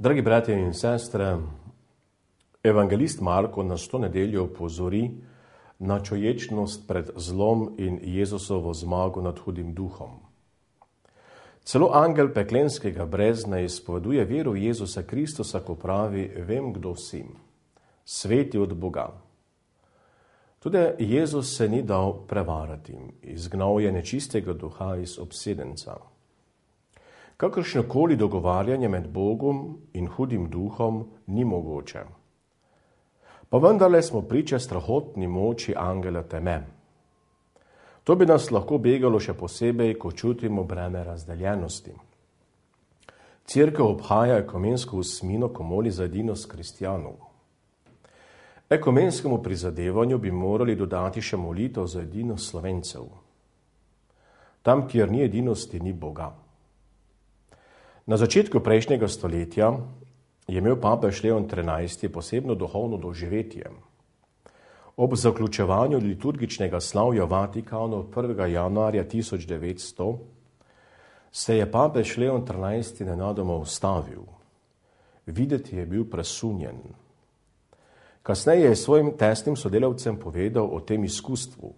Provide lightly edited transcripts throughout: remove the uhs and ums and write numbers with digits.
Dragi bratje in sestre, evangelist Marko nas to nedeljo opozori na čoječnost pred zlom in Jezusovo zmago nad hudim duhom. Celo angel peklenskega brezna izpoveduje veru Jezusa Kristusa, ko pravi: vem, kdo si, sveti od Boga. Tudi Jezus se ni dal prevarati, izgnal je nečistega duha iz obsedenca. Kakršnokoli dogovarjanje med Bogom in hudim duhom ni mogoče. Pa vendarle smo priče strahotni moči angela teme. To bi nas lahko begalo še posebej, ko čutimo breme razdeljenosti. Cerkev obhaja ekumensko osmino, ko moli za edinost kristjanov. Ekumenskemu prizadevanju bi morali dodati še molitev za edinost Slovencev. Tam, kjer ni edinosti, ni Boga. Na začetku prejšnjega stoletja je imel papež Leon XIII. Posebno duhovno doživetje. Ob zaključevanju liturgičnega slavja v Vatikanu 1. januarja 1900 se je papež Leon XIII. Nenadoma ustavil. Videti je bil presunjen. Kasneje je svojim tesnim sodelavcem povedal o tem izkustvu.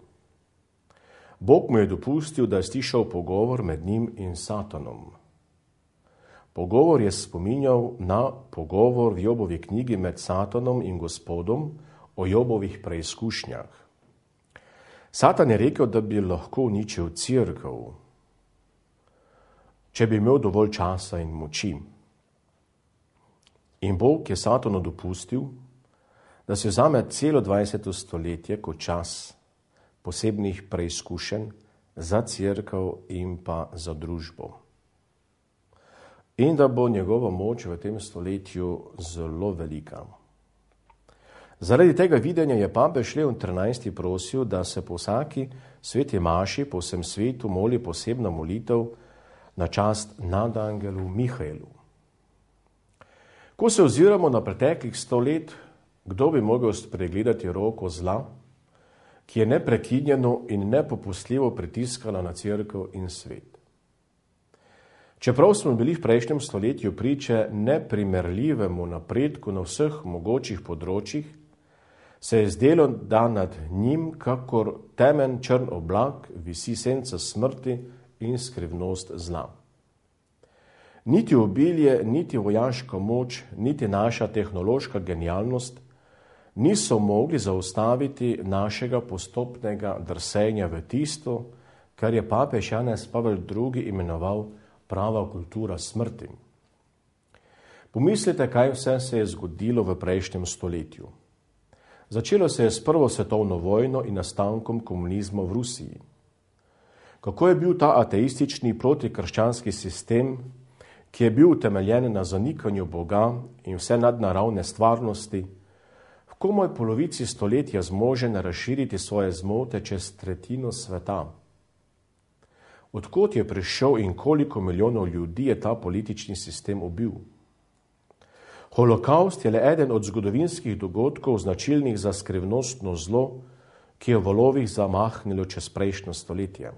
Bog mu je dopustil, da je slišal pogovor med njim in Satanom. Pogovor je spominjal na pogovor v Jobovi knjigi med Satanom in Gospodom o Jobovih preizkušnjah. Satan je rekel, da bi lahko uničil cerkev, če bi imel dovolj časa in moči. In Bog je Satanu dopustil, da se vzame celo 20. stoletje kot čas posebnih preizkušenj za cerkev in pa za družbo. In da bo njegova moč v tem stoletju zelo velika. Zaradi tega videnja je papež Leon XIII. Prosil, da se po vsaki sveti maši po vsem svetu moli posebna molitev na čast nadangelu Mihaelu. Ko se oziramo na preteklih 100 let, kdo bi mogel spregledati roko zla, ki je neprekinjeno in nepopustljivo pritiskala na cerkev in svet. Čeprav smo bili v prejšnjem stoletju priče neprimerljivemu napredku na vseh mogočih področjih, se je zdelo, da nad njim, kakor temen črn oblak, visi senca smrti in skrivnost zla. Niti obilje, niti vojaška moč, niti naša tehnološka genialnost niso mogli zaustaviti našega postopnega drsenja v tisto, kar je papež Janez Pavel II. Imenoval prava kultura smrti. Pomislite, kaj vse se je zgodilo v prejšnjem stoletju. Začelo se je s prvo svetovno vojno in nastankom komunizma v Rusiji. Kako je bil ta ateistični protikrščanski sistem, ki je bil utemeljen na zanikanju Boga in vse nadnaravne stvarnosti, v komaj polovici stoletja zmožen razširiti svoje zmote čez tretjino sveta. Odkot je prišel in koliko milijonov ljudi je ta politični sistem ubil? Holokaust je le eden od zgodovinskih dogodkov značilnih za skrivnostno zlo, ki je v valovih zamahnilo čez prejšnjo stoletje.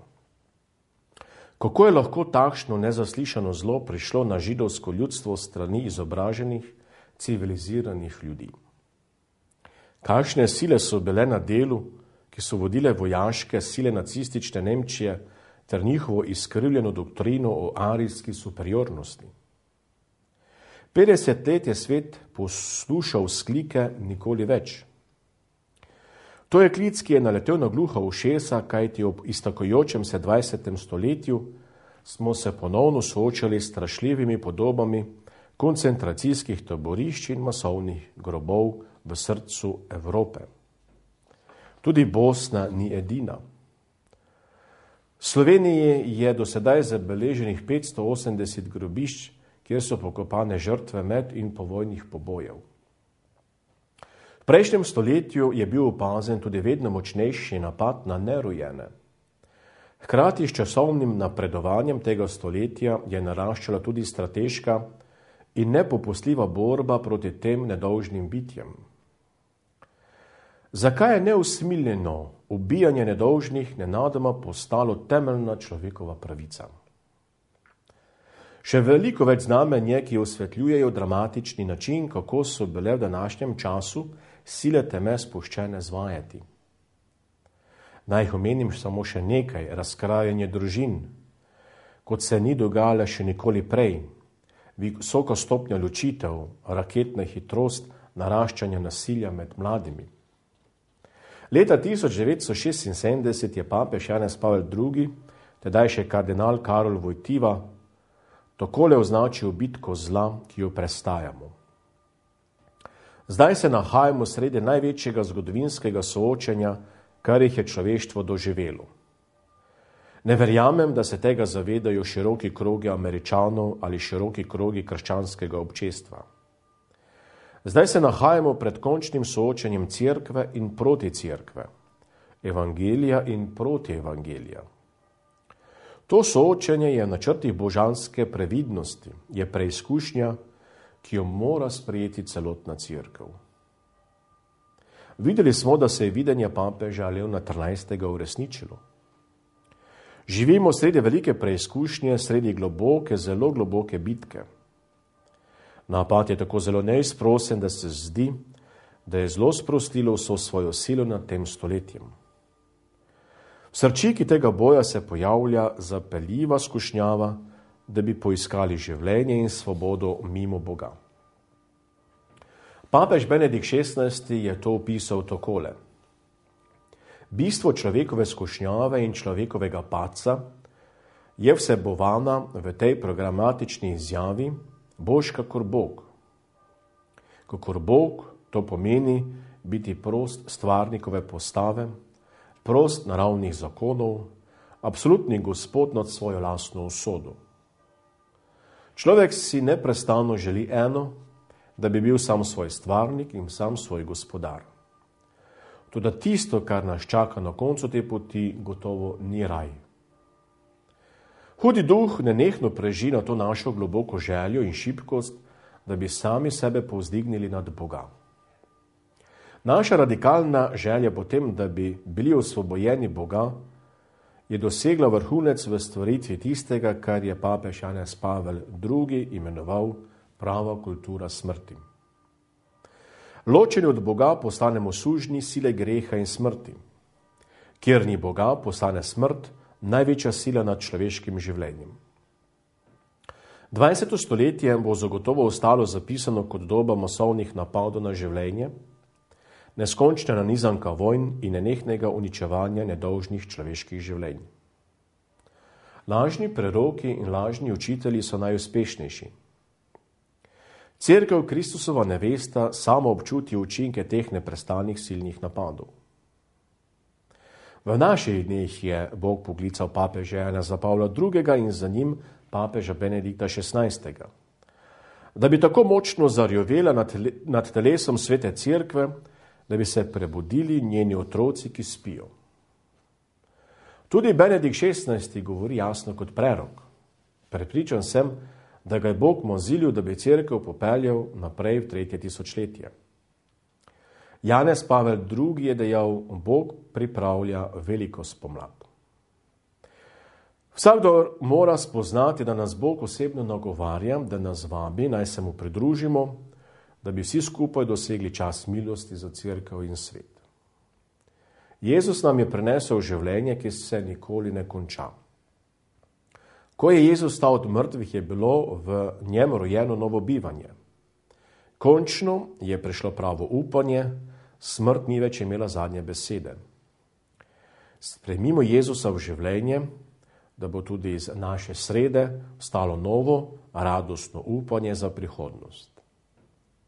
Kako je lahko takšno nezaslišano zlo prišlo na židovsko ljudstvo strani izobraženih, civiliziranih ljudi? Kakšne sile so bile na delu, ki so vodile vojaške sile nacistične Nemčije ter njihovo izkrivljeno doktrino o arijski superiornosti? 50 let je svet poslušal vzklike nikoli več. To je klic, ki je naletel na gluha ušesa, kajti ob iztakajočem se 20. stoletju smo se ponovno soočali s strašljivimi podobami koncentracijskih taborišč in masovnih grobov v srcu Evrope. Tudi Bosna ni edina. V Sloveniji je do sedaj zabeleženih 580 grobišč, kjer so pokopane žrtve med in povojnih pobojev. V prejšnjem stoletju je bil opazen tudi vedno močnejši napad na nerojene. Hkrati s časovnim napredovanjem tega stoletja je naraščala tudi strateška in nepopustljiva borba proti tem nedolžnim bitjem. Zakaj je neusmiljeno ubijanje nedolžnih nenadoma postalo temeljna človekova pravica? Še veliko več znamenj je, ki osvetljujejo dramatični način, kako so bile v današnjem času sile teme spuščene zvajati. Naj jih omenim samo še nekaj: razkrajanje družin, kot se ni dogajalo še nikoli prej, visoka stopnja ločitev, raketna hitrost naraščanja nasilja med mladimi. Leta 1976 je papež Janez Pavel II, tedaj še kardinal Karol Wojtyła, takole označil bitko zla, ki jo prestajamo. Zdaj se nahajamo sredi največjega zgodovinskega soočenja, kar jih je človeštvo doživelo. Ne verjamem, da se tega zavedajo široki krogi Američanov ali široki krogi krščanskega občestva. Zdaj se nahajamo pred končnim soočenjem cerkve in proti cerkve, evangelija in proti evangelija. To soočenje je v načrtih božanske previdnosti, je preizkušnja, ki jo mora sprejeti celotna cerkev. Videli smo, da se je videnje papeža Leona XIII. Uresničilo. Živimo sredi velike preizkušnje, sredi globoke, zelo globoke bitke. Napad je tako zelo neizprosen, da se zdi, da je zelo sprostilo vso svojo silo nad tem stoletjem. V srčiki tega boja se pojavlja zapeljiva skušnjava, da bi poiskali življenje in svobodo mimo Boga. Papež Benedikt XVI. Je to opisal takole: bistvo človekove skušnjave in človekovega padca je vsebovana v tej programatični izjavi: boš kakor Bog. Kakor Bog, to pomeni biti prost stvarnikove postave, prost naravnih zakonov, absolutni gospod nad svojo lastno usodo. Človek si neprestano želi eno, da bi bil sam svoj stvarnik in sam svoj gospodar. Toda tisto, kar nas čaka na koncu te poti, gotovo ni raj. Hudi duh nenehno preži na to našo globoko željo in šibkost, da bi sami sebe povzdignili nad Boga. Naša radikalna želja potem, da bi bili osvobojeni Boga, je dosegla vrhunec v stvaritvi tistega, kar je papež Janez Pavel II. Imenoval prava kultura smrti. Ločeni od Boga postanemo sužnji sile greha in smrti. Kjer ni Boga, postane smrt največja sila nad človeškim življenjem. 20. stoletje bo zagotovo ostalo zapisano kot doba masovnih napadov na življenje, neskončna nanizanka vojn in nenehnega uničevanja nedolžnih človeških življenj. Lažni preroki in lažni učitelji so najuspešnejši. Cerkev Kristusova nevesta samo občuti učinke teh neprestanih silnih napadov. V naših dneh je Bog poklical papeža Janeza Pavla II. In za njim papeža Benedikta XVI., da bi tako močno zarjovela nad telesom svete cerkve, da bi se prebudili njeni otroci, ki spijo. Tudi Benedikt XVI. Govori jasno kot prerok. Prepričan sem, da ga je Bog mozilil, da bi cerkev popeljal naprej v 3. tisočletje. Janez Pavel II. Je dejal: Bog pripravlja veliko spomlad. Vsakdo mora spoznati, da nas Bog osebno nagovarja, da nas vabi, naj se mu pridružimo, da bi vsi skupaj dosegli čas milosti za cerkev in svet. Jezus nam je prinesel življenje, ki se nikoli ne konča. Ko je Jezus stal od mrtvih, je bilo v njem rojeno novo bivanje. Končno je prišlo pravo upanje, smrt ni več imela zadnje besede. Sprejmimo Jezusa v življenje, da bo tudi iz naše srede stalo novo, radostno upanje za prihodnost.